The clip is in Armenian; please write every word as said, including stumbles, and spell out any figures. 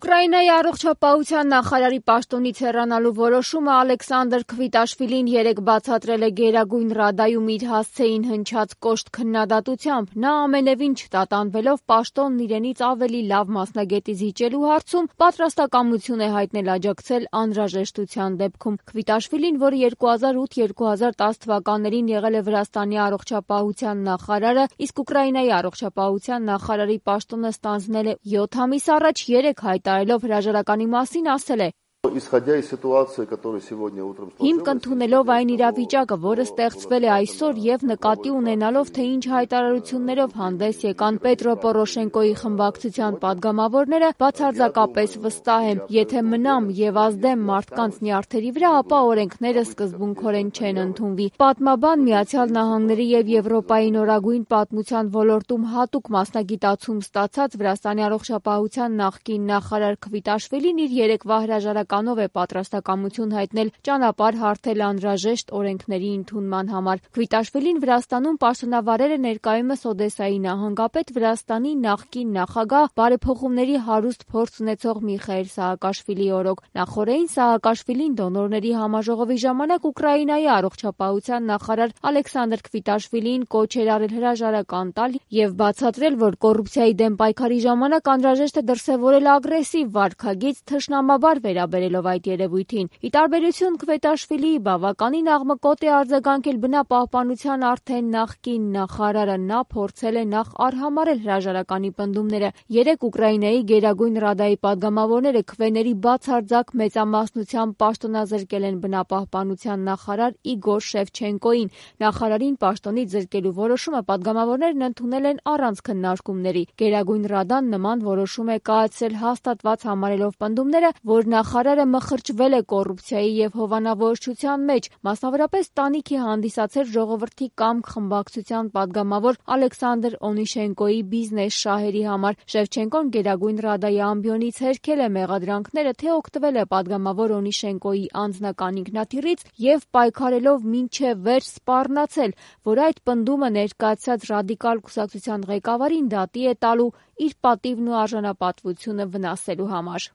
Ուկրաինայի առողջապահության նախարարի պաշտոնից հեռանալու որոշումը Ալեքսանդր Քվիտաշվիլին երեկ բացատրել է Գերագույն Ռադայում իր հասցեին հնչած կոշտ քննադատությամբ։ Նա ամենևին չտատանվելով պաշտոնն իրենից ավելի լավ մասնագետի զիջելու հարցում պատրաստակամություն է հայտնել աջակցել անհրաժեշտության դեպքում։ Քվիտաշվիլին, որը երկու հազար ութ - երկու հազար տաս թվականներին եղել է Վրաստանի առողջապահության նախարարը, իսկ Ուկրաինայի առողջապահության նախարարի պաշտոնը ստանձնել է յոթ ամիս առաջ, երեկ հայտարարելով հրաժարականի մասին ասել է. Հիմք ընդունելով այն իրավիճակը, որը ստեղծվել է այսօր եւ նկատի ունենալով, թե ինչ հայտարարություններով հանդես եկան Պետրո Պորոշենկոյի խմբակցության падգամավորները, բացարձակապես վստահ եմ, եթե մնամ եւ ազդեմ մարդկանց նյարդերի վրա, ապա օրենքները սկզբունքորեն չեն ընդունվի։ Պատմաբան, Միացյալ Նահանգների եւ Եվրոպայի նորագույն պատմության ոլորտում հատուկ մասնագիտացում ստացած Վրաստանի առողջապահության նախկին նախարար Քվիտաշվիլին իր երեկվա հրաժարակ ով է պատրաստակամություն հայտնել ճանապարհ հարթել անհրաժեշտ օրենքների ընդունման համար։ Քվիտաշվիլին Վրաստանում պաշտոնավարել է ներկայումս Օդեսայի նահանգապետ, Վրաստանի նախկին նախագահ, բարեփոխումների հարուստ փորձ ունեցող Միխայիլ Սահակաշվիլիի օրոք։ Նախորդին Սահակաշվիլին դոնորների համաժողովի ժամանակ Ուկրաինայի առողջապահության նախարար Ալեքսանդր Քվիտաշվիլիին կոչ էր արել հրաժարական տալ եւ բացատրել, որ կոռուպցիայի դեմ պայքարի ժամանակ անհրաժեշտ է դրսեւորել ագրեսիվ վարքագիծ, թշնամաբար վերաբերելով այդ երևույթին։ Ի տարբերություն Քվետաշվիլիի, բավականին աղմկոտ է արձագանքել բնապահպանության արդեն նախկին նախարարը։ Նա փորձել է նախ արհամարհել հրաժարականի պնդումները։ Երեկ Ուկրաինայի Գերագույն Ռադայի падգամավորները քվեների բացարձակ մեծամասնությամբ պաշտոնազրկել են բնապահպանության նախարար Իգոր Շևչենկոին։ Նախարարին պաշտոնից զրկելու որոշումը падգամավորներն ընդունել են առանց քննարկումների։ Գերագույն Ռադան նման որոշում է կայացրել հաստատված համարելով պնդումները, որ նախարարը մխրճվել է կոռուպցիայի եւ հովանավորչության մեջ, մասնավորապես տանիք է հանդիսացել ժողովրդի կամք խմբակցության падգամավոր Ալեքսանդր Օնիշենկոյի բիզնես շահերի համար։ Շևչենկոն Գերագույն Ռադայի ամբիոնից հերքել է մեղադրանքները, թե օգտվել է падգամավոր Օնիշենկոյի անձնական ինքնաթիռից եւ պայքարելով մինչեւ վերջ սպառնացել, որ այդ պնդումը ներկայացած ռադիկալ կուսակցության ղեկավարին դատի է տալու իր պատիվն ու արժանապատվությունը վնասելու համար։